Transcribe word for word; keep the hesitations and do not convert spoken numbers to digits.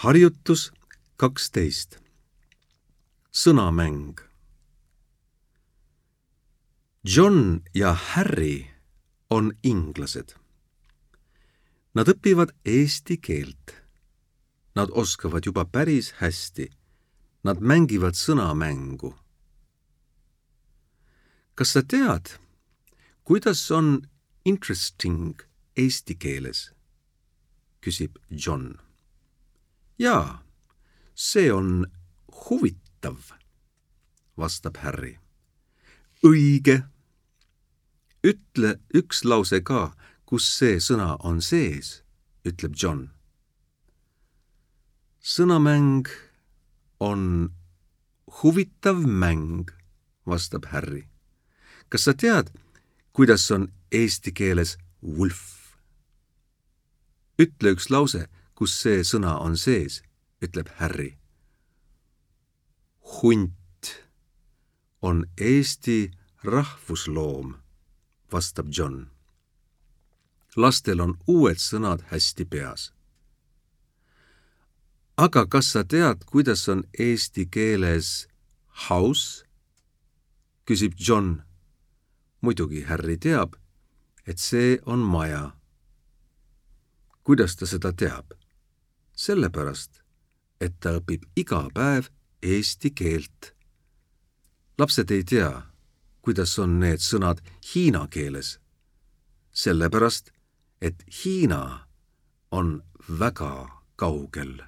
Harjutus kaksteist. Sõnamäng. John ja Harry on inglased. Nad õpivad eesti keelt. Nad oskavad juba päris hästi. Nad mängivad sõnamängu. Kas sa tead, kuidas on interesting eesti keeles? Küsib John. Jaa, see on huvitav, vastab Harry. Õige. Ütle üks lause ka, kus see sõna on sees, ütleb John. Sõnamäng on huvitav mäng, vastab Harry. Kas sa tead, kuidas on eesti keeles wolf? Ütle üks lause, kus see sõna on sees, ütleb Harry. Hunt on eesti rahvusloom, vastab John. Lastel on uued sõnad hästi peas. Aga kas sa tead, kuidas on eesti keeles house? Küsib John. Muidugi Harry teab, et see on maja. Kuidas ta seda teab? Sellepärast, et ta õpib iga päev eesti keelt. Lapsed ei tea, kuidas on need sõnad hiina keeles. Sellepärast, et Hiina on väga kaugel.